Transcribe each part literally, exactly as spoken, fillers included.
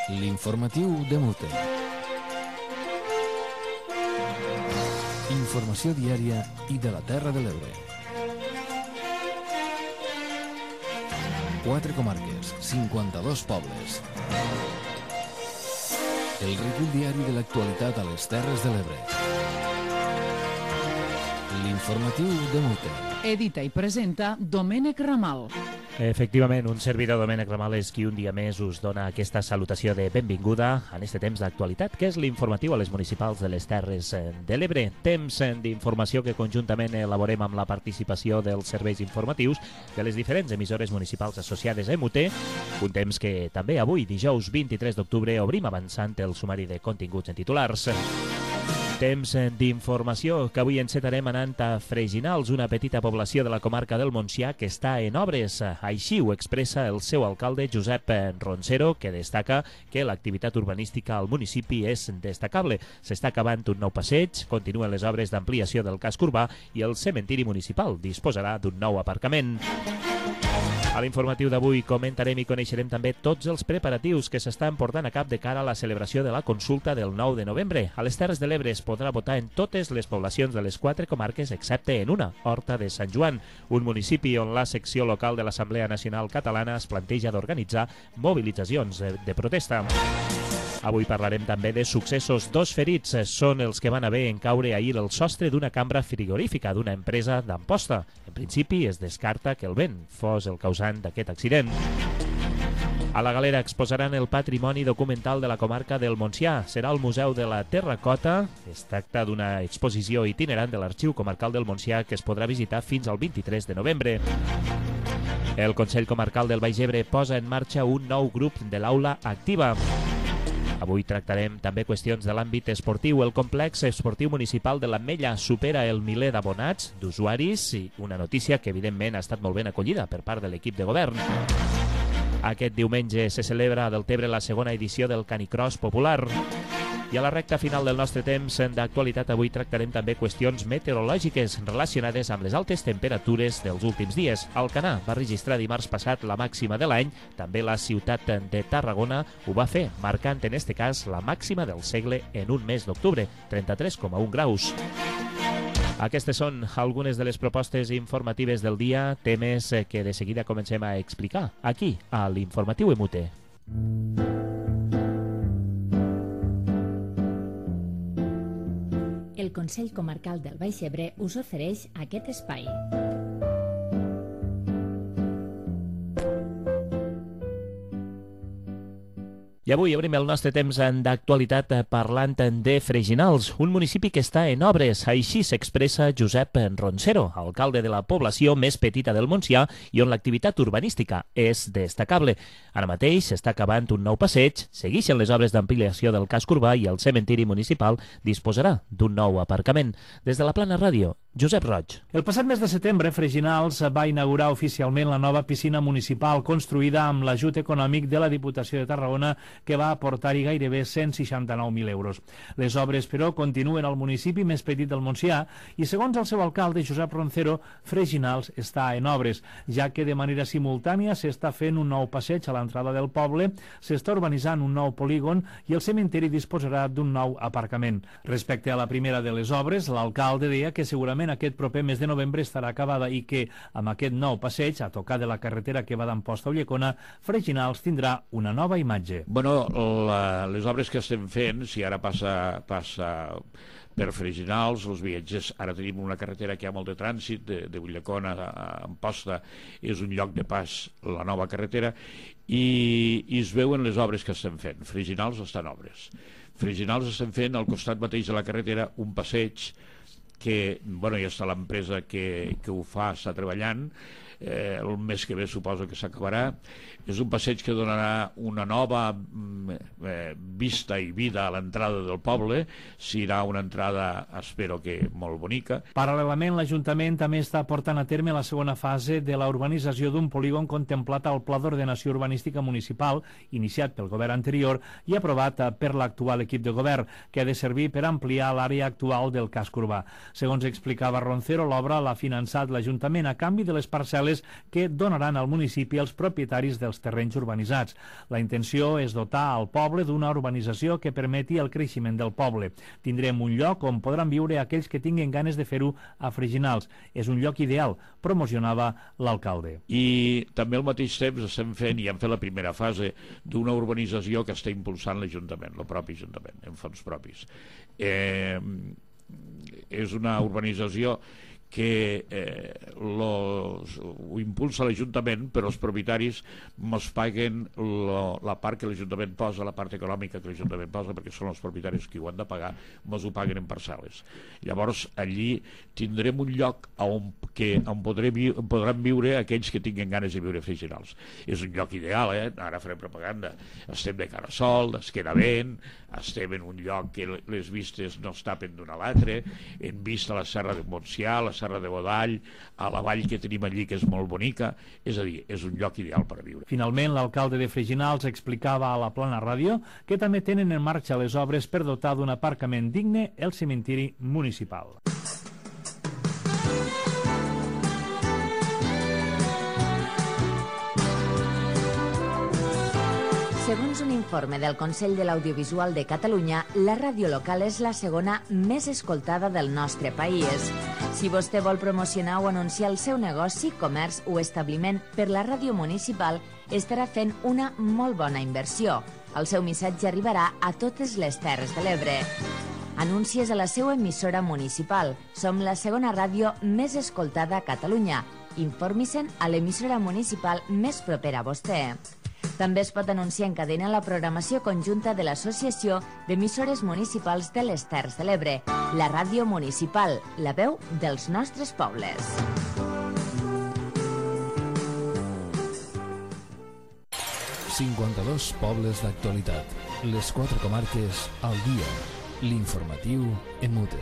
L'informatiu de Mute. Informació diària i de la Terra de l'Ebre. Quatre comarques, cinquanta-dos pobles. El recull diari de l'actualitat a les Terres de l'Ebre. L'informatiu de Mute. Edita i presenta Domènec Ramal. Efectivament, un servidor Domènec Ramal és qui un dia més us dona aquesta salutació de benvinguda en este temps d'actualitat, que és l'informatiu a les municipals de les Terres de l'Ebre. Temps d'informació que conjuntament elaborem amb la participació dels serveis informatius de les diferents emissores municipals associades a M U T, un temps que també avui, dijous vint-i-tres d'octubre, obrim avançant el sumari de continguts en titulars. Temps d'informació que avui encetarem anant a Freginals, una petita població de la comarca del Montsià que està en obres. Així ho expressa el seu alcalde, Josep Roncero, que destaca que l'activitat urbanística al municipi és destacable. S'està acabant un nou passeig, continuen les obres d'ampliació del casc urbà i el cementiri municipal disposarà d'un nou aparcament. A l'informatiu d'avui comentarem i coneixerem també tots els preparatius que s'estan portant a cap de cara a la celebració de la consulta del nou de novembre. A les Terres de l'Ebre es podrà votar en totes les poblacions de les quatre comarques excepte en una, Horta de Sant Joan, un municipi on la secció local de l'Assemblea Nacional Catalana es planteja d'organitzar mobilitzacions de, de protesta. Avui parlarem també de successos. Dos ferits són els que van haver en caure ahir el sostre d'una cambra frigorífica d'una empresa d'Amposta. En principi es descarta que el vent fos el causant d'aquest accident. A la Galera exposaran el patrimoni documental de la comarca del Montsià. Serà al Museu de la Terracota. Es tracta d'una exposició itinerant de l'Arxiu Comarcal del Montsià que es podrà visitar fins al vint-i-tres de novembre. El Consell Comarcal del Baix Ebre posa en marxa un nou grup de l'Aula Activa. Avui tractarem també qüestions de l'àmbit esportiu. El complex esportiu municipal de l'Ametlla supera el miler d'abonats, d'usuaris, i una notícia que evidentment ha estat molt ben acollida per part de l'equip de govern. Aquest diumenge se celebra a Deltebre la segona edició del Canicross Popular. I a la recta final del nostre temps d'actualitat avui tractarem també qüestions meteorològiques relacionades amb les altes temperatures dels últims dies. Alcanar va registrar dimarts passat la màxima de l'any, també la ciutat de Tarragona ho va fer, marcant en este cas la màxima del segle en un mes d'octubre, trenta-tres coma un graus. Aquestes són algunes de les propostes informatives del dia, temes que de seguida comencem a explicar aquí, a l'Informatiu M U T. El Consell Comarcal del Baix Ebre us ofereix aquest espai. I avui obrim el nostre temps d'actualitat parlant de Freginals, un municipi que està en obres. Així s'expressa Josep Roncero, alcalde de la població més petita del Montsià i on l'activitat urbanística és destacable. Ara mateix s'està acabant un nou passeig, segueixen les obres d'ampliació del casc urbà i el cementiri municipal disposarà d'un nou aparcament. Des de la Plana Ràdio, Josep Roig. El passat mes de setembre, Freginals va inaugurar oficialment la nova piscina municipal construïda amb l'ajut econòmic de la Diputació de Tarragona, que va aportar-hi gairebé cent seixanta-nou mil euros. Les obres, però, continuen al municipi més petit del Montsià i, segons el seu alcalde, Josep Roncero, Freginals està en obres, ja que de manera simultània s'està fent un nou passeig a l'entrada del poble, s'està urbanitzant un nou polígon i el cementiri disposarà d'un nou aparcament. Respecte a la primera de les obres, l'alcalde deia que segurament aquest proper mes de novembre estarà acabada i que, amb aquest nou passeig, a tocar de la carretera que va d'Amposta a Ulldecona, Freginals tindrà una nova imatge. Bueno, la, les obres que estem fent, si ara passa, passa per Freginals, els viatgers, ara tenim una carretera que hi ha molt de trànsit, de, de Ulldecona a Amposta, és un lloc de pas, la nova carretera, i, i es veuen les obres que estem fent. Freginals estan obres. Freginals estem fent al costat mateix de la carretera un passeig que, bueno, ja està l'empresa que, que ho fa, està treballant, eh, el mes que ve suposo que s'acabarà. És un passeig que donarà una nova eh, vista i vida a l'entrada del poble. Serà una entrada, espero que molt bonica. Paral·lelament, l'Ajuntament també està portant a terme la segona fase de la urbanització d'un polígon contemplat al Pla d'Ordenació Urbanística Municipal, iniciat pel govern anterior i aprovat per l'actual equip de govern, que ha de servir per ampliar l'àrea actual del casc urbà. Segons explicava Roncero, l'obra l'ha finançat l'Ajuntament a canvi de les parcel·les favorables que donaran al municipi els propietaris dels terrenys urbanitzats. La intenció és dotar al poble d'una urbanització que permeti el creixement del poble. Tindrem un lloc on podran viure aquells que tinguin ganes de fer-ho a Freginals. És un lloc ideal, promocionava l'alcalde. I també al mateix temps estem fent, i hem fet la primera fase, d'una urbanització que està impulsant l'Ajuntament, el propi Ajuntament, en fons propis. Eh, és una urbanització que eh, los, ho impulsa l'Ajuntament, però els propietaris mos paguen lo, la part que l'Ajuntament posa, la part econòmica que l'Ajuntament posa, perquè són els propietaris que ho han de pagar, mos ho paguen en parcel·les. Llavors, allí tindrem un lloc on, que, on podrem, podran viure aquells que tinguin ganes de viure a Freginals. És un lloc ideal, eh? Ara farem propaganda. Estem de cara a sol, es queda vent, estem en un lloc que les vistes no es tapen d'un a l'altre, hem vist a la Serra de Montsià, la Serra de Godall, a la vall que tenim allí, que és molt bonica, és a dir, és un lloc ideal per a viure. Finalment, l'alcalde de Freginals explicava a la Plana Ràdio que també tenen en marxa les obres per dotar d'un aparcament digne el cementiri municipal. Segons un informe del Consell de l'Audiovisual de Catalunya, la ràdio local és la segona més escoltada del nostre país. Si vostè vol promocionar o anunciar el seu negoci, comerç o establiment per la ràdio municipal, estarà fent una molt bona inversió. El seu missatge arribarà a totes les Terres de l'Ebre. Anuncies a la seva emissora municipal. Som la segona ràdio més escoltada a Catalunya. Informi-se'n a l'emissora municipal més propera a vostè. També es pot anunciar en cadena la programació conjunta de l'Associació d'Emissores Municipals de les Terres de l'Ebre, la ràdio municipal, la veu dels nostres pobles. cinquanta-dos pobles d'actualitat. Les quatre comarques al dia. L'informatiu en mute.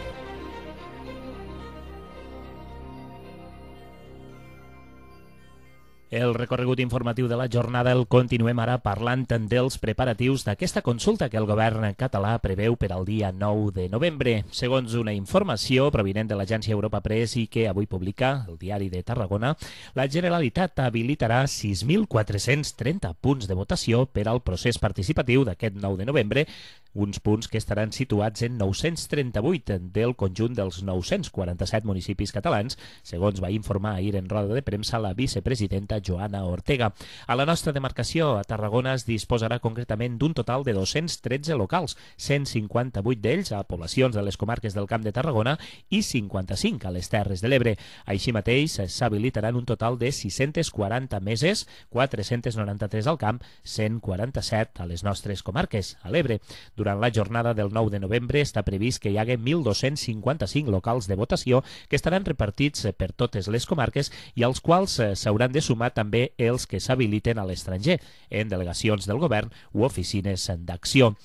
El recorregut informatiu de la jornada el continuem ara parlant dels preparatius d'aquesta consulta que el govern català preveu per al dia nou de novembre. Segons una informació provinent de l'agència Europa Press i que avui publica el Diari de Tarragona, la Generalitat habilitarà sis mil quatre-cents trenta punts de votació per al procés participatiu d'aquest nou de novembre, uns punts que estaran situats en nou-cents trenta-vuit del conjunt dels nou-cents quaranta-set municipis catalans, segons va informar ahir en roda de premsa la vicepresidenta Joana Ortega. A la nostra demarcació, a Tarragona, es disposarà concretament d'un total de dos-cents tretze locals, cent cinquanta-vuit d'ells a poblacions de les comarques del Camp de Tarragona i cinquanta-cinc a les Terres de l'Ebre. Així mateix, s'habilitaran un total de sis-cents quaranta meses, quatre-cents noranta-tres al Camp, cent quaranta-set a les nostres comarques, a l'Ebre. Durant la jornada del nou de novembre està previst que hi hagi mil dos-cents cinquanta-cinc locals de votació que estaran repartits per totes les comarques i als quals s'hauran de sumar també els que s'habiliten a l'estranger, en delegacions del govern o oficines d'acció.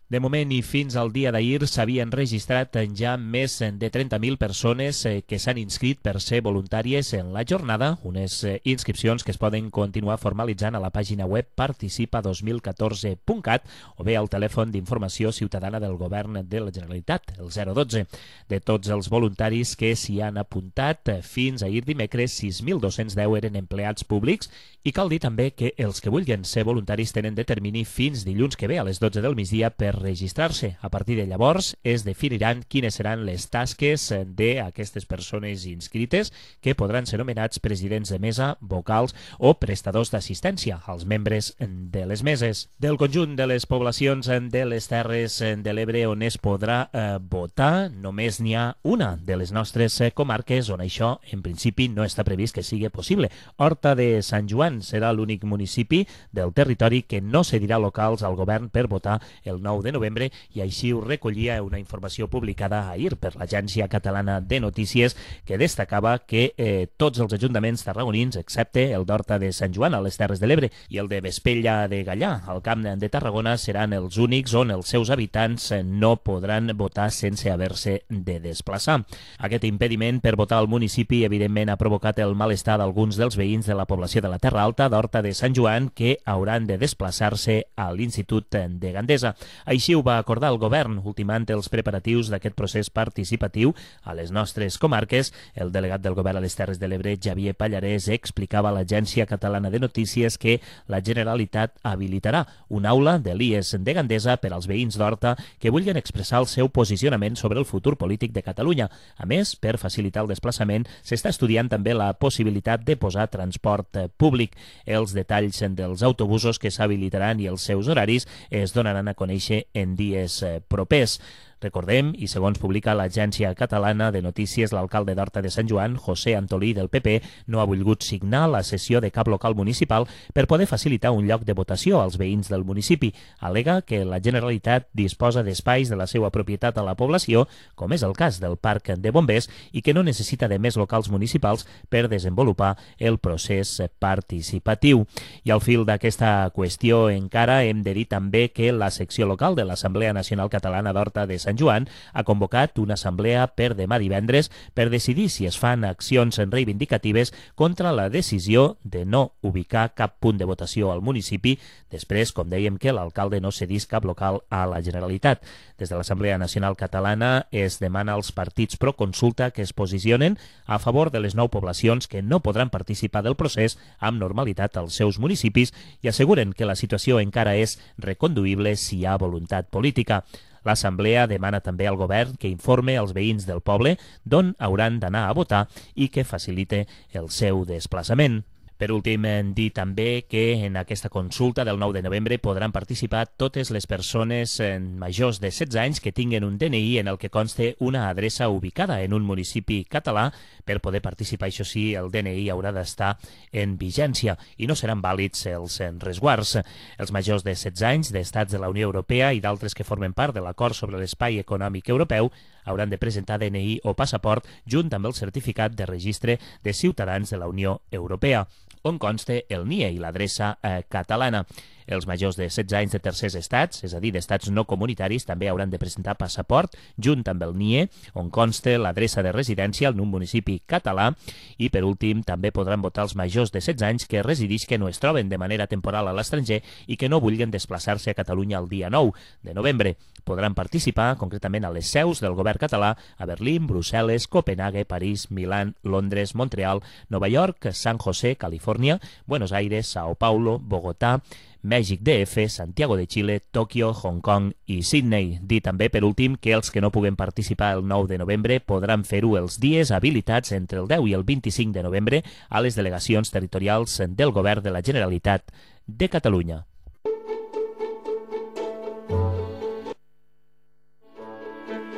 De moment i fins al dia d'ahir s'havien registrat ja més de trenta mil persones que s'han inscrit per ser voluntàries en la jornada, unes inscripcions que es poden continuar formalitzant a la pàgina web participa dos mil catorze punt cat o bé al telèfon d'informació ciutadana del govern de la Generalitat, el zero dotze. De tots els voluntaris que s'hi han apuntat, fins ahir dimecres sis mil dos-cents deu eren empleats públics i cal dir també que els que vulguin ser voluntaris tenen de termini fins dilluns que ve a les dotze del migdia per registrar-se. A partir de llavors es definiran quines seran les tasques d'aquestes persones inscrites que podran ser nomenats presidents de mesa, vocals o prestadors d'assistència als membres de les meses. Del conjunt de les poblacions de les Terres de l'Ebre on es podrà eh, votar, només n'hi ha una de les nostres eh, comarques on això en principi no està previst que sigui possible. Horta de Sant Joan serà l'únic municipi del territori que no cedirà locals al govern per votar el nou de novembre i així ho recollia una informació publicada ahir per l'Agència Catalana de Notícies que destacava que eh, tots els ajuntaments tarragonins, excepte el d'Horta de Sant Joan a les Terres de l'Ebre i el de Vespella de Gallà al Camp de Tarragona seran els únics on els seus habitants no podran votar sense haver-se de desplaçar. Aquest impediment per votar al municipi evidentment ha provocat el malestar d'alguns dels veïns de la població de la Terra Alta d'Horta de Sant Joan que hauran de desplaçar-se a l'Institut de Gandesa. Així ho va acordar el govern, ultimant els preparatius d'aquest procés participatiu a les nostres comarques. El delegat del govern a les Terres de l'Ebre, Xavier Pallarès, explicava a l'Agència Catalana de Notícies que la Generalitat habilitarà una aula de l'I E S de Gandesa per als veïns d'Horta que vulguin expressar el seu posicionament sobre el futur polític de Catalunya. A més, per facilitar el desplaçament, s'està estudiant també la possibilitat de posar transport públic. Els detalls dels autobusos que s'habilitaran i els seus horaris es donaran a conèixer en dies propers. Recordem, i segons publica l'Agència Catalana de Notícies, l'alcalde d'Horta de Sant Joan, José Antolí del P P, no ha volgut signar la sessió de cap local municipal per poder facilitar un lloc de votació als veïns del municipi. Al·lega que la Generalitat disposa d'espais de la seva propietat a la població, com és el cas del Parc de Bombers, i que no necessita de més locals municipals per desenvolupar el procés participatiu. I al fil d'aquesta qüestió encara hem de dir també que la secció local de l'Assemblea Nacional Catalana d'Horta de Sant Joan ha convocat una assemblea per demà divendres per decidir si es fan accions reivindicatives contra la decisió de no ubicar cap punt de votació al municipi després, com dèiem, que l'alcalde no cedís cap local a la Generalitat. Des de l'Assemblea Nacional Catalana es demana als partits pro consulta que es posicionen a favor de les nou poblacions que no podran participar del procés amb normalitat als seus municipis i asseguren que la situació encara és reconduïble si hi ha voluntat política. L'Assemblea demana també al govern que informe als veïns del poble d'on hauran d'anar a votar i que facilite el seu desplaçament. Per últim, dir també que en aquesta consulta del nou de novembre podran participar totes les persones majors de setze anys que tinguen un D N I en el que conste una adreça ubicada en un municipi català. Per poder participar, això sí, el D N I haurà d'estar en vigència i no seran vàlids els resguards. Els majors de setze anys d'estats de la Unió Europea i d'altres que formen part de l'acord sobre l'espai econòmic europeu hauran de presentar D N I o passaport junt amb el certificat de registre de ciutadans de la Unió Europea, on conste el N I E i l'adreça eh, catalana. Els majors de setze anys de tercers estats, és a dir, d'estats no comunitaris, també hauran de presentar passaport junt amb el N I E, on conste l'adreça de residència en un municipi català. I, per últim, també podran votar els majors de setze anys que residisquen o es troben de manera temporal a l'estranger i que no vulguin desplaçar-se a Catalunya el dia nou de novembre. Podran participar concretament a les seus del govern català a Berlín, Brussel·les, Copenhague, París, Milán, Londres, Montreal, Nova York, San José, Califòrnia, Buenos Aires, Sao Paulo, Bogotà, Mèxic D F, Santiago de Xile, Tòquio, Hong Kong i Sydney. Dir també, per últim, que els que no puguen participar el nou de novembre podran fer-ho els dies habilitats entre el deu i el vint-i-cinc de novembre a les delegacions territorials del Govern de la Generalitat de Catalunya.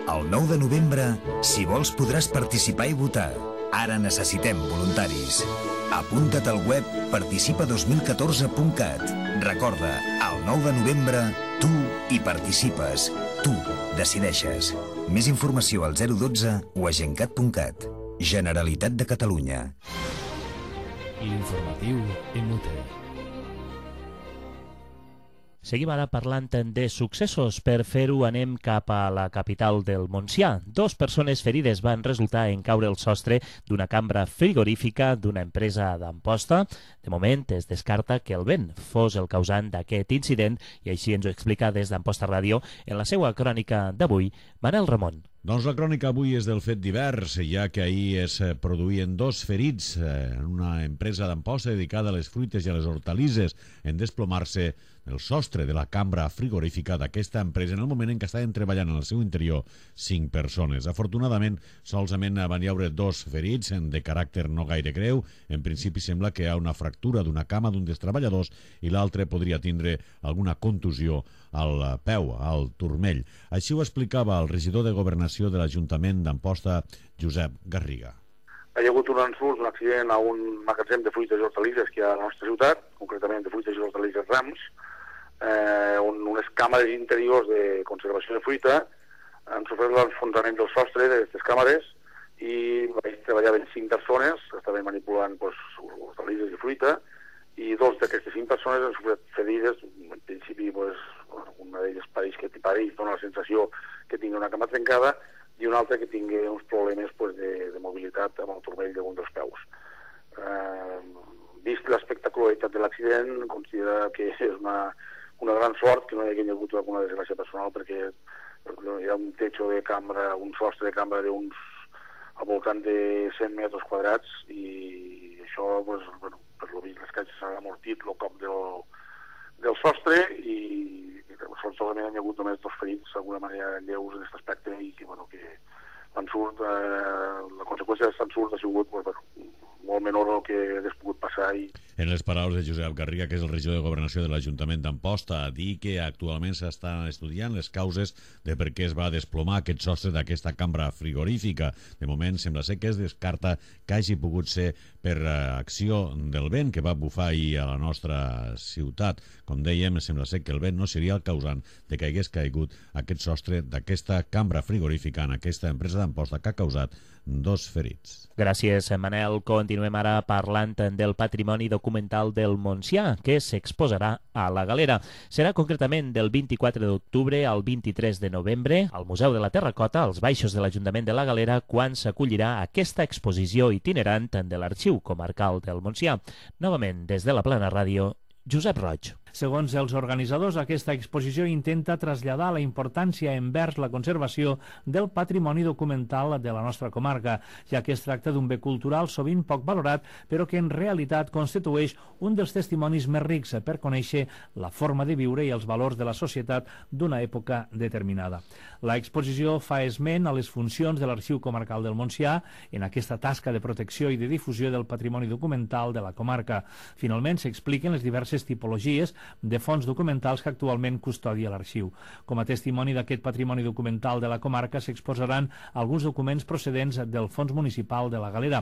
El nou de novembre, si vols, podràs participar i votar. Ara necessitem voluntaris. Apunta't al web participa dos mil catorze punt cat. Recorda, el nou de novembre, tu hi participes. Tu decideixes. Més informació al zero dotze o a gencat punt cat. Generalitat de Catalunya. L'informatiu inútil. Seguim ara parlant de successos. Per fer-ho anem cap a la capital del Montsià. Dos persones ferides van resultar en caure el sostre d'una cambra frigorífica d'una empresa d'Amposta. De moment es descarta que el vent fos el causant d'aquest incident i així ens ho explica des d'Amposta Ràdio en la seva crònica d'avui, Manel Ramon. Doncs la crònica avui és del fet divers, ja que ahir es produïen dos ferits en una empresa d'Amposta dedicada a les fruites i a les hortalisses en desplomar-se el sostre de la cambra frigorífica d'aquesta empresa en el moment en què estaven treballant en el seu interior cinc persones. Afortunadament, solament van hi haure dos ferits de caràcter no gaire greu. En principi sembla que hi ha una fractura d'una cama d'un dels treballadors i l'altre podria tindre alguna contusió al peu, al turmell. Així ho explicava el regidor de Governació de l'Ajuntament d'Amposta, Josep Garriga. Hi ha hagut un ensurt, un accident a un magatzem de fruites i hortalisses que hi ha a la nostra ciutat, concretament de fruites i hortalisses Rams, eh, on unes càmeres interiors de conservació de fruita han sofert l'enfonsament del sostre d'aquestes càmeres i treballaven cinc persones que estaven manipulant pues, hortalisses i fruita i dos d'aquestes cinc persones han sofert ferides. En principi, pues, una d'elles pareix que pareix, dona la sensació que tingui una cama trencada i una altra que tingui uns problemes pues, de, de mobilitat amb el turmell d'un dels peus. Eh, vist l'espectacularitat de l'accident, considera que és una, una gran sort que no hi hagi hagut alguna desgràcia personal, perquè hi ha un techo de cambra, un sostre de cambra d'uns al voltant de cent metres quadrats, i això, pues, bueno, per lo vist, les caixes s'han amortit el cop del, del sostre, i, i solament hi ha hagut només dos ferits, d'alguna manera lleus en aquest aspecte, i que, bueno, que l'ensurt, eh, la conseqüència d'aquest ensurt ha sigut, pues, bueno, molt menor del que hagués pogut passar. I... En les paraules de Josep Garriga, que és el regidor de Governació de l'Ajuntament d'Amposta, a dir que actualment s'estan estudiant les causes de per què es va desplomar aquest sostre d'aquesta cambra frigorífica. De moment sembla ser que es descarta que hagi pogut ser per acció del vent que va bufar ahir a la nostra ciutat. Com dèiem, sembla ser que el vent no seria el causant de que hagués caigut aquest sostre d'aquesta cambra frigorífica en aquesta empresa d'Amposta, que ha causat dos ferits. Gràcies, Manel. Continuem ara parlant del patrimoni documental del Montsià, que s'exposarà a la Galera. Serà concretament del vint-i-quatre d'octubre al vint-i-tres de novembre al Museu de la Terracota, als baixos de l'Ajuntament de la Galera, quan s'acollirà aquesta exposició itinerant de l'Arxiu Comarcal del Montsià. Novament, des de la Plana Ràdio, Josep Roig. Segons els organitzadors, aquesta exposició intenta traslladar la importància envers la conservació del patrimoni documental de la nostra comarca, ja que es tracta d'un bé cultural sovint poc valorat, però que en realitat constitueix un dels testimonis més rics per conèixer la forma de viure i els valors de la societat d'una època determinada. La exposició fa esment a les funcions de l'Arxiu Comarcal del Montsià en aquesta tasca de protecció i de difusió del patrimoni documental de la comarca. Finalment, s'expliquen les diverses tipologies de fons documentals que actualment custodia l'arxiu. Com a testimoni d'aquest patrimoni documental de la comarca s'exposaran alguns documents procedents del Fons Municipal de la Galera.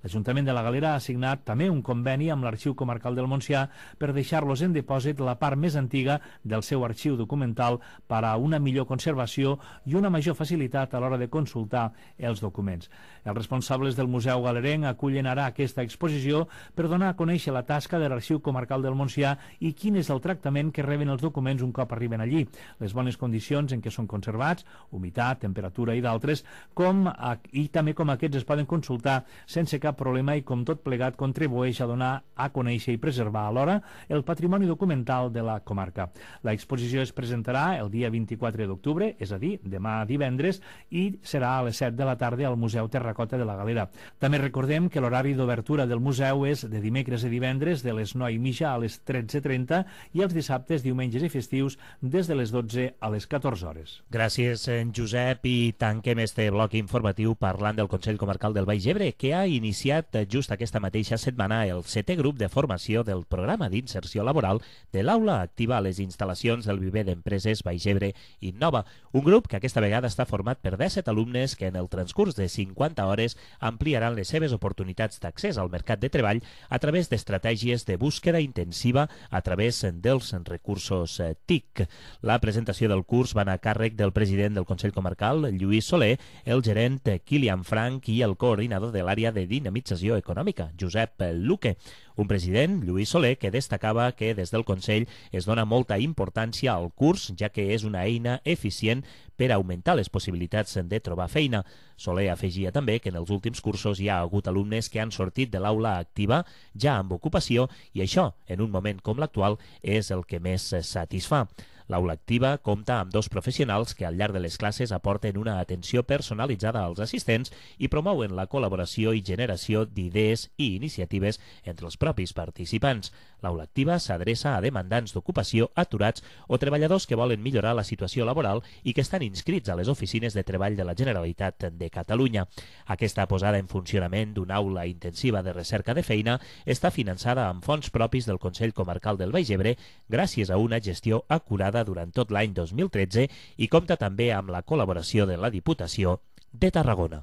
L'Ajuntament de la Galera ha signat també un conveni amb l'Arxiu Comarcal del Montsià per deixar-los en dipòsit la part més antiga del seu arxiu documental per a una millor conservació i una major facilitat a l'hora de consultar els documents. Els responsables del Museu Galerenc acullen ara aquesta exposició per donar a conèixer la tasca de l'Arxiu Comarcal del Montsià i quin és el tractament que reben els documents un cop arriben allí, les bones condicions en què són conservats, humitat, temperatura i d'altres, com a, i també com aquests es poden consultar sense cap problema i com tot plegat contribueix a donar a conèixer i preservar alhora el patrimoni documental de la comarca. La exposició es presentarà el dia vint-i-quatre d'octubre, és a dir, demà divendres, i serà a les set de la tarda al Museu Terracota de la Galera. També recordem que l'horari d'obertura del museu és de dimecres a divendres de les nou i mitja a les tretze trenta i els dissabtes, diumenges i festius des de les dotze a les catorze hores. Gràcies, en Josep, i tanquem este bloc informatiu parlant del Consell Comarcal del Baix Ebre, que ha iniciat just aquesta mateixa setmana el setè grup de formació del programa d'inserció laboral de l'Aula Activa a les instal·lacions del Viver d'Empreses Baix Ebre Innova, un grup que aquesta vegada està format per disset alumnes que en el transcurs de cinquanta hores ampliaran les seves oportunitats d'accés al mercat de treball a través d'estratègies de búsqueda intensiva a través dels recursos T I C. La presentació del curs va anar a càrrec del president del Consell Comarcal, Lluís Soler, el gerent Kilian Frank i el coordinador de l'àrea de dinamització econòmica, Josep Luque. Un president, Lluís Soler, que destacava que des del Consell es dona molta importància al curs, ja que és una eina eficient per augmentar les possibilitats de trobar feina. Soler afegia també que en els últims cursos hi ha hagut alumnes que han sortit de l'aula activa ja amb ocupació i això, en un moment com l'actual, és el que més satisfà. L'aula activa compta amb dos professionals que al llarg de les classes aporten una atenció personalitzada als assistents i promouen la col·laboració i generació d'idees i iniciatives entre els propis participants. L'aula activa s'adreça a demandants d'ocupació aturats o treballadors que volen millorar la situació laboral i que estan inscrits a les oficines de treball de la Generalitat de Catalunya. Aquesta posada en funcionament d'una aula intensiva de recerca de feina està finançada amb fons propis del Consell Comarcal del Baix Ebre gràcies a una gestió acurada durant tot l'any dos mil tretze i compta també amb la col·laboració de la Diputació de Tarragona.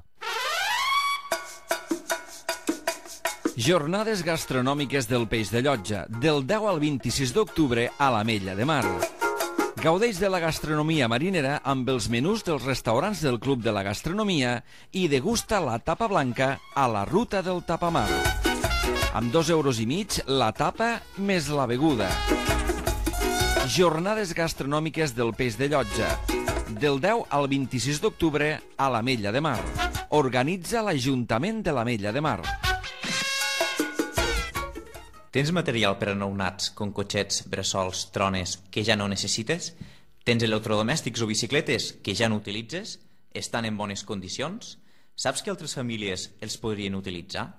Jornades gastronòmiques del Peix de Llotja, del deu al vint-i-sis d'octubre a l'Ametlla de Mar. Gaudeix de la gastronomia marinera amb els menús dels restaurants del Club de la Gastronomia i degusta la tapa blanca a la Ruta del Tapamar. Amb dos euros i mig la tapa més la beguda. Jornades gastronòmiques del Peix de Llotja, del deu al vint-i-sis d'octubre a l'Ametlla de Mar. Organitza l'Ajuntament de l'Ametlla de Mar. Tens material per a nounats, com cotxets, bressols, trones, que ja no necessites? Tens electrodomèstics o bicicletes que ja no utilitzes? Estan en bones condicions? Saps que altres famílies els podrien utilitzar?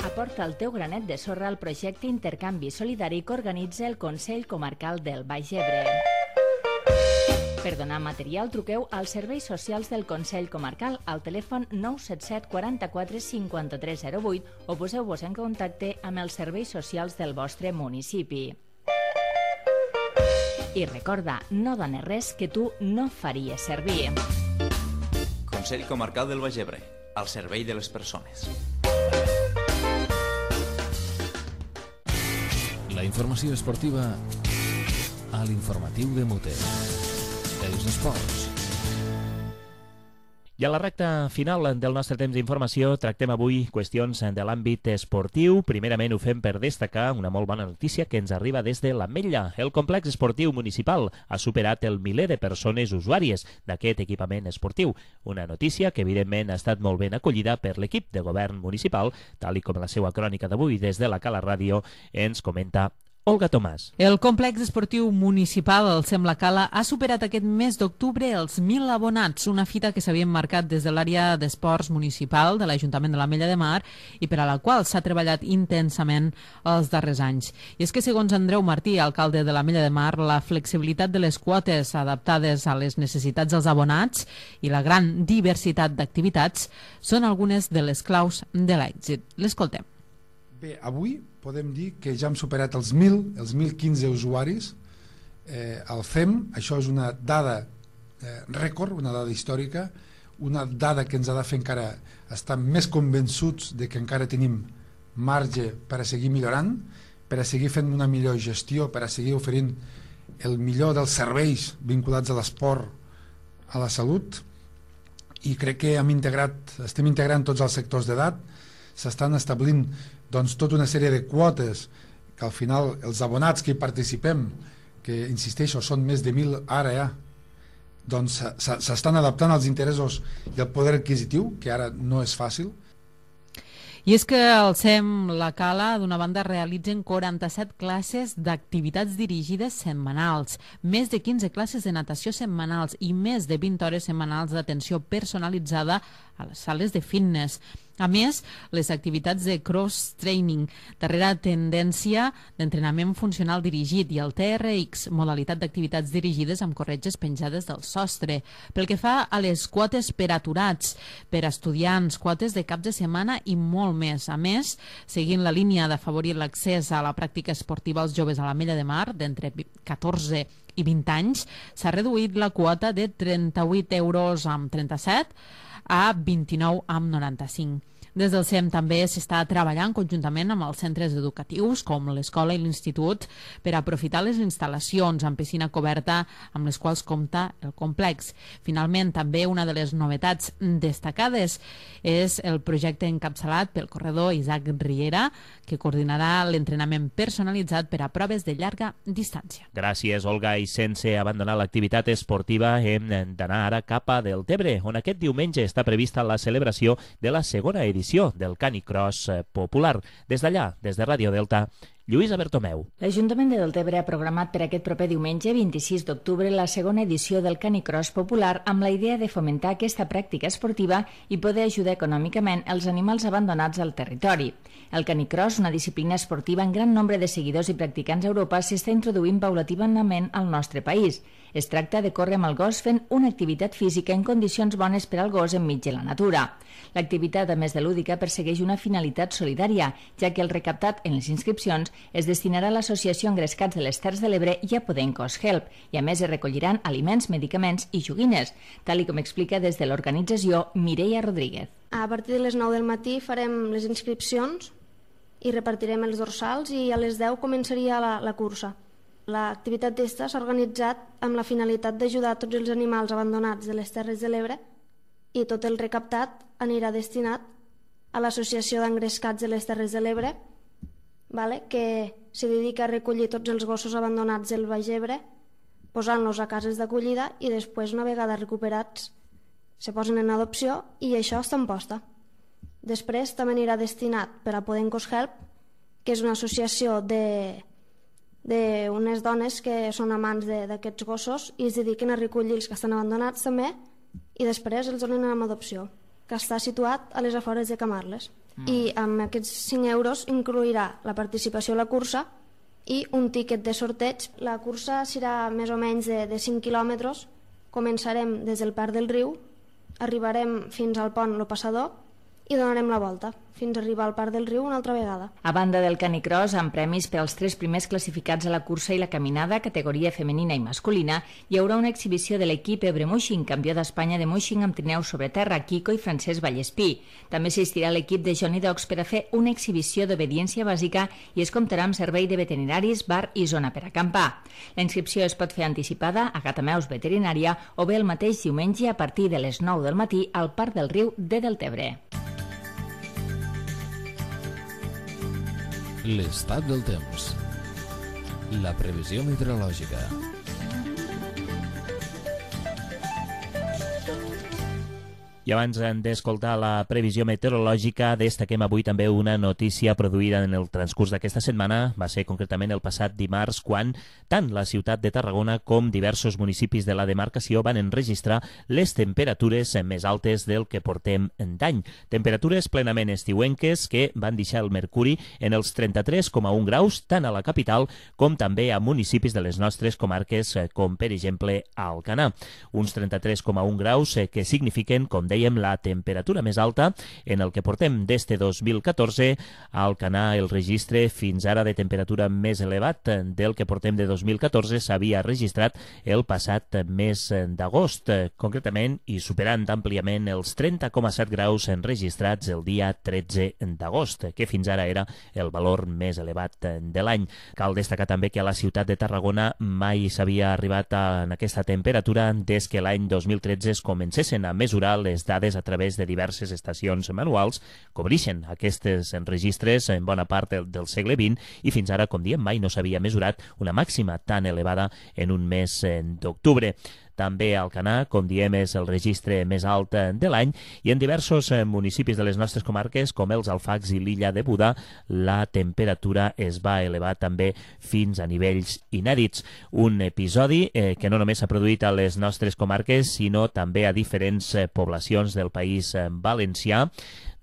Aporta el teu granet de sorra al projecte Intercanvi Solidari que organitza el Consell Comarcal del Baix Ebre. Per donar material, truqueu als serveis socials del Consell Comarcal al telèfon nou set set quaranta-quatre cinquanta-tres zero vuit o poseu-vos en contacte amb els serveis socials del vostre municipi. I recorda, no dones res que tu no faries servir. Consell Comarcal del Baix Ebre, al servei de les persones. La informació esportiva a l'informatiu de Mute. Els esports. I a la recta final del nostre temps d'informació tractem avui qüestions de l'àmbit esportiu. Primerament ho fem per destacar una molt bona notícia que ens arriba des de l'Ametlla. El complex esportiu municipal ha superat el miler de persones usuàries d'aquest equipament esportiu. Una notícia que evidentment ha estat molt ben acollida per l'equip de govern municipal, tal i com la seva crònica d'avui des de la Cala Ràdio ens comenta Olga Tomàs. El complex esportiu municipal, el Sembla Cala, ha superat aquest mes d'octubre els mil abonats, una fita que s'havia marcat des de l'àrea d'esports municipal de l'Ajuntament de l'Ametlla de Mar i per a la qual s'ha treballat intensament els darrers anys. I és que, segons Andreu Martí, alcalde de l'Ametlla de Mar, la flexibilitat de les quotes adaptades a les necessitats dels abonats i la gran diversitat d'activitats són algunes de les claus de l'èxit. L'escoltem. Bé, avui podem dir que ja hem superat els mil, els mil quinze usuaris eh, al C E M. Això és una dada eh, rècord, una dada històrica, una dada que ens ha de fer encara estar més convençuts de que encara tenim marge per a seguir millorant, per a seguir fent una millor gestió, per a seguir oferint el millor dels serveis vinculats a l'esport, a la salut, i crec que hem integrat, estem integrant tots els sectors d'edat, s'estan establint doncs tota una sèrie de quotes que al final els abonats que hi participem, que insisteixo són més de mil ara ja, doncs s'estan adaptant als interessos i al poder adquisitiu, que ara no és fàcil. I és que el C E M La Cala, d'una banda, realitzen quaranta-set classes d'activitats dirigides setmanals, més de quinze classes de natació setmanals i més de vint hores setmanals d'atenció personalitzada a les sales de fitness. A més, les activitats de cross-training, darrera tendència d'entrenament funcional dirigit, i el T R X, modalitat d'activitats dirigides amb corretges penjades del sostre. Pel que fa a les quotes per aturats, per estudiants, quotes de caps de setmana i molt més. A més, seguint la línia d'afavorir l'accés a la pràctica esportiva als joves a l'Ametlla de Mar, d'entre catorze i vint anys, s'ha reduït la quota de trenta-vuit euros amb trenta-set a vint-i-nou amb noranta-cinc. Des del C E M també s'està treballant conjuntament amb els centres educatius com l'escola i l'institut per aprofitar les instal·lacions amb piscina coberta amb les quals compta el complex. Finalment, també una de les novetats destacades és el projecte encapçalat pel corredor Isaac Riera, que coordinarà l'entrenament personalitzat per a proves de llarga distància. Gràcies, Olga. I sense abandonar l'activitat esportiva hem d'anar ara cap a Deltebre, on aquest diumenge està prevista la celebració de la segona edició del Canicross popular. Des d'allà, des de Ràdio Delta, Lluïsa Bertomeu. L'Ajuntament de Deltebre ha programat per aquest proper diumenge, vint-i-sis d'octubre, la segona edició del Canicross popular amb la idea de fomentar aquesta pràctica esportiva i poder ajudar econòmicament els animals abandonats al territori. El Canicross, una disciplina esportiva amb gran nombre de seguidors i practicants a Europa, s'està introduint paulativament al nostre país. Es tracta de córrer amb el gos fent una activitat física en condicions bones per al gos enmig de la natura. L'activitat, a més de lúdica, persegueix una finalitat solidària, ja que el recaptat en les inscripcions es destinarà a l'Associació Engrescats de les Terres de l'Ebre i a Podencos Help, i a més es recolliran aliments, medicaments i joguines, tal i com explica des de l'organització Mireia Rodríguez. A partir de les nou del matí farem les inscripcions i repartirem els dorsals i a les deu començaria la, la cursa. L'activitat d'esta s'ha organitzat amb la finalitat d'ajudar tots els animals abandonats de les Terres de l'Ebre i tot el recaptat anirà destinat a l'Associació d'Engrescats de les Terres de l'Ebre, vale? Que se dedica a recollir tots els gossos abandonats del Baix Ebre, posant-los a cases d'acollida i després, una vegada recuperats, se posen en adopció i això està en posta. Després també anirà destinat per a Podencos Help, que és una associació de d'unes dones que són amants d'aquests gossos i es dediquen a recollir els que estan abandonats també i després els donen en adopció, que està situat a les afores de Camarles. Mm. I amb aquests cinc euros incluirà la participació a la cursa i un tíquet de sorteig. La cursa serà més o menys de, de cinc quilòmetres. Començarem des del Parc del Riu, arribarem fins al pont Lo Passador i donarem la volta fins a arribar al Parc del Riu una altra vegada. A banda del canicross, amb premis pels tres primers classificats a la cursa i la caminada, categoria femenina i masculina, hi haurà una exhibició de l'equip Ebre Muixing, campió d'Espanya de Muixing amb trineu sobre terra, Quico i Francesc Vallespí. També assistirà l'equip de Johnny Dogs per a fer una exhibició d'obediència bàsica i es comptarà amb servei de veterinaris, bar i zona per acampar. La inscripció es pot fer anticipada a Gatameus Veterinària o bé el mateix diumenge a partir de les nou del matí al Parc del Riu de Deltebre. L'estat del temps. La previsió meteorològica. I abans d'escoltar la previsió meteorològica, destaquem avui també una notícia produïda en el transcurs d'aquesta setmana. Va ser concretament el passat dimarts quan tant la ciutat de Tarragona com diversos municipis de la demarcació van enregistrar les temperatures més altes del que portem d'any. Temperatures plenament estiuenques que van deixar el mercuri en els trenta-tres coma un graus tant a la capital com també a municipis de les nostres comarques com per exemple a Alcanar. Uns trenta-tres coma un graus que signifiquen, com deia, la temperatura més alta en el que portem des de dos mil catorze. A Alcanar el registre fins ara de temperatura més elevat del que portem de dos mil catorze s'havia registrat el passat mes d'agost, concretament i superant àmpliament els trenta coma set graus enregistrats el dia tretze d'agost, que fins ara era el valor més elevat de l'any. Cal destacar també que a la ciutat de Tarragona mai s'havia arribat a aquesta temperatura des que l'any dos mil tretze es comencessin a mesurar les dades a través de diverses estacions manuals que obrixen aquests registres en bona part del, del segle vint i fins ara, com diem, mai no s'havia mesurat una màxima tan elevada en un mes d'octubre. També a Alcanar, com diem, és el registre més alt de l'any i en diversos municipis de les nostres comarques, com els Alfacs i l'illa de Buda, la temperatura es va elevar també fins a nivells inèdits. Un episodi eh, que no només s'ha produït a les nostres comarques, sinó també a diferents eh, poblacions del país eh, valencià.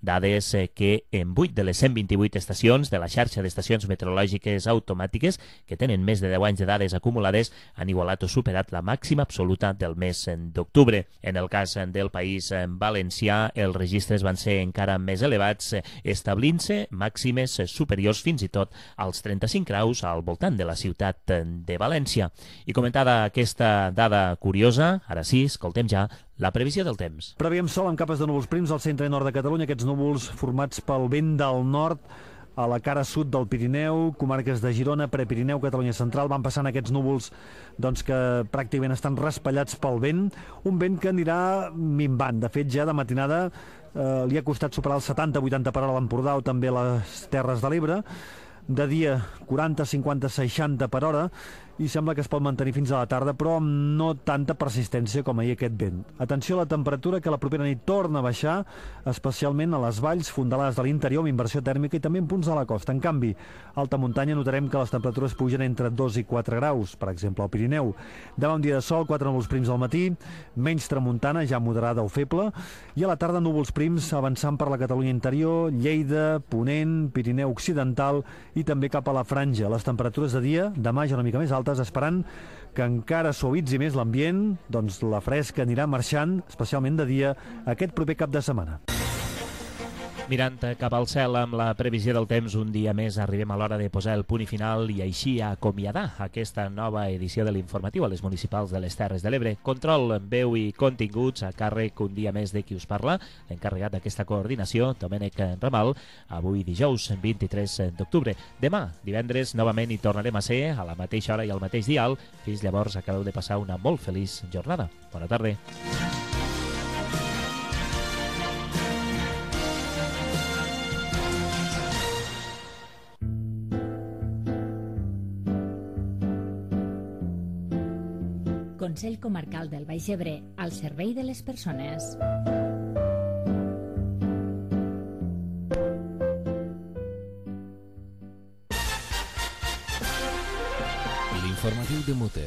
Dades que en vuit de les cent vint-i-vuit estacions de la xarxa d'estacions meteorològiques automàtiques, que tenen més de deu anys de dades acumulades, han igualat o superat la màxima absoluta del mes d'octubre. En el cas del país valencià, els registres van ser encara més elevats, establint-se màximes superiors fins i tot als trenta-cinc graus al voltant de la ciutat de València. I comentada aquesta dada curiosa, ara sí, escoltem ja la previsió del temps. Preveiem sol amb capes de núvols prims al centre i nord de Catalunya. Aquests núvols formats pel vent del nord a la cara sud del Pirineu, comarques de Girona, Prepirineu, Catalunya Central, van passant aquests núvols doncs, que pràcticament estan raspallats pel vent, un vent que anirà minvant. De fet, ja de matinada eh, li ha costat superar els setanta a vuitanta per hora a l'Empordà o també a les Terres de l'Ebre, de dia quaranta, cinquanta, seixanta per hora, i sembla que es pot mantenir fins a la tarda, però amb no tanta persistència com ahir aquest vent. Atenció a la temperatura, que la propera nit torna a baixar, especialment a les valls fondalades de l'interior, amb inversió tèrmica i també en punts de la costa. En canvi, a alta muntanya notarem que les temperatures pugen entre dos i quatre graus, per exemple al Pirineu. Demà un dia de sol, quatre núvols prims al matí, menys tramuntana, ja moderada o feble, i a la tarda núvols prims avançant per la Catalunya interior, Lleida, Ponent, Pirineu occidental i també cap a la franja. Les temperatures de dia, demà ja una mica més altes, esperant que encara suavitzi més l'ambient, doncs la fresca anirà marxant, especialment de dia, aquest proper cap de setmana. Mirant cap al cel amb la previsió del temps, un dia més arribem a l'hora de posar el punt i final i així acomiadar aquesta nova edició de l'informatiu a les municipals de les Terres de l'Ebre. Control, veu i continguts a càrrec un dia més de qui us parla, l'encarregat d'aquesta coordinació, Domènec Ramal, avui dijous vint-i-tres d'octubre. Demà, divendres, novament hi tornarem a ser a la mateixa hora i al mateix dial. Fins llavors, acabeu de passar una molt feliç jornada. Bona tarda. Consell Comarcal del Baix Ebre, al servei de les persones. L'informatiu de Mute,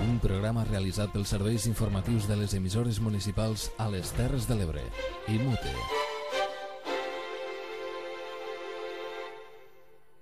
un programa realitzat pels serveis informatius de les emissores municipals a les Terres de l'Ebre i Mute.